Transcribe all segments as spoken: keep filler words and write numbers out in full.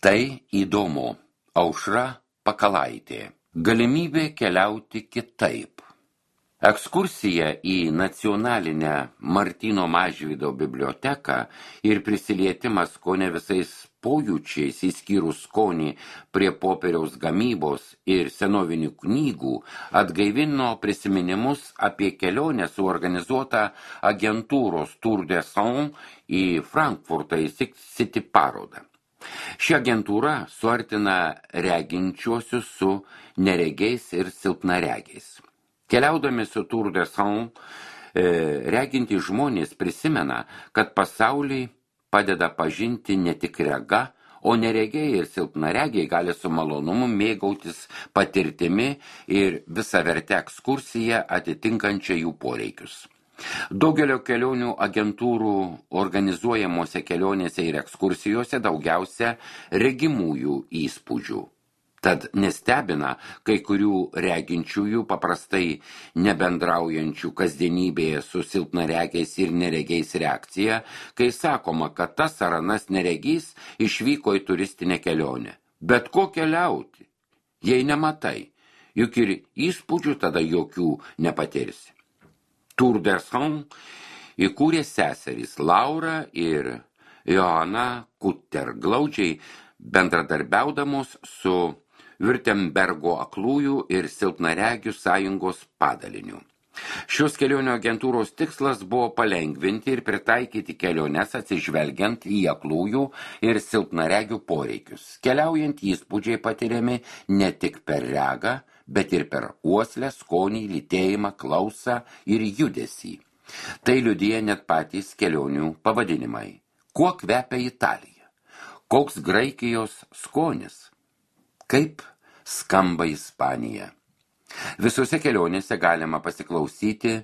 Tai įdomu. Aušra Pakalaitė. Galimybė keliauti kitaip. Ekskursija į nacionalinę Martyno Mažvydo biblioteką ir prisilietimas kone visais pojūčiais, įskyrus skonį prie popieriaus gamybos ir senovinių knygų, atgaivino prisiminimus apie kelionę suorganizuotą agentūros Tour de Sion į Frankfurtą į City parodą. Ši agentūra suartina reginčiuosius su neregiais ir silpnaregiais. Keliaudami su Tour de Sion, reginti žmonės prisimena, kad pasaulį padeda pažinti ne tik rega, o neregiai ir silpnaregiai gali su malonumu mėgautis patirtimi ir visavertę ekskursiją atitinkančią jų poreikius. Daugelio kelionių agentūrų organizuojamose kelionėse ir ekskursijose daugiausia regimųjų įspūdžių. Tad nestebina kai kurių reginčiųjų paprastai nebendraujančių kasdienybėje su silpnaregiais ir neregiais reakcija, kai sakoma, kad tas ar anas neregys išvyko į turistinę kelionę. Bet ko keliauti, jei nematai, juk ir įspūdžių tada jokių nepatirsi. Tour de Sion įkūrė seserys Laura ir Joana Kutter, glaudžiai bendradarbiaudamos su Württembergo aklųjų ir silpnaregių sąjungos padaliniu. Šios kelionių agentūros tikslas buvo palengvinti ir pritaikyti keliones atsižvelgiant į aklųjų ir silpnaregių poreikius. Keliaujant įspūdžiai patiriami ne tik per regą, bet ir per uoslę, skonį, lytėjimą, klausą ir judesį. Tai liudija net patys kelionių pavadinimai. Kuo kvepia Italija? Koks Graikijos skonis? Kaip skamba Ispanija? Visose kelionėse galima pasiklausyti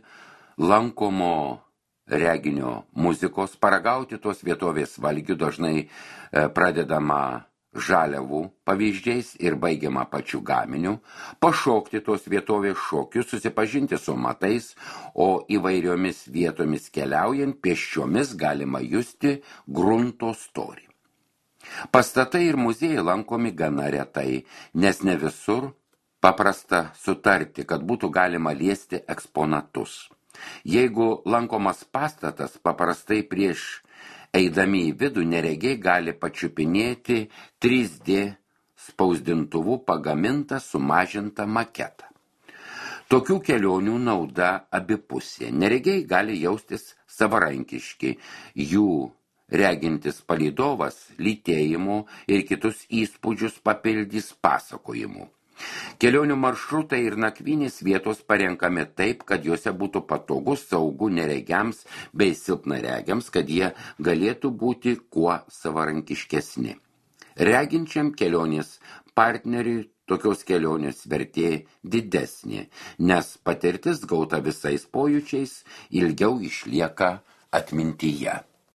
lankomo reginio muzikos, paragauti tos vietovės valgių, dažnai pradedama žaliavų pavyzdžiais ir baigiama pačių gaminių, pašokti tos vietovės šokius, susipažinti su matais, o įvairiomis vietomis keliaujant pėsčiomis galima justi grunto storį. Pastatai ir muziejai lankomi gana retai, nes ne visur paprasta sutarti, kad būtų galima liesti eksponatus. Jeigu lankomas pastatas, paprastai prieš eidami į vidų neregiai gali pačiupinėti trys D spausdintuvu pagamintą sumažintą maketą. Tokių kelionių nauda abipusė. Neregiai gali jaustis savarankiški, jų regintis palydovas lytėjimu ir kitus įspūdžius papildys pasakojimu. Kelionių maršrutai ir nakvynės vietos parenkami taip, kad juose būtų patogu, saugu neregiams bei silpnaregiams, kad jie galėtų būti kuo savarankiškesni. Reginčiam kelionės partneriui tokios kelionės vertė didesnė, nes patirtis gauta visais pojūčiais ilgiau išlieka atmintyje.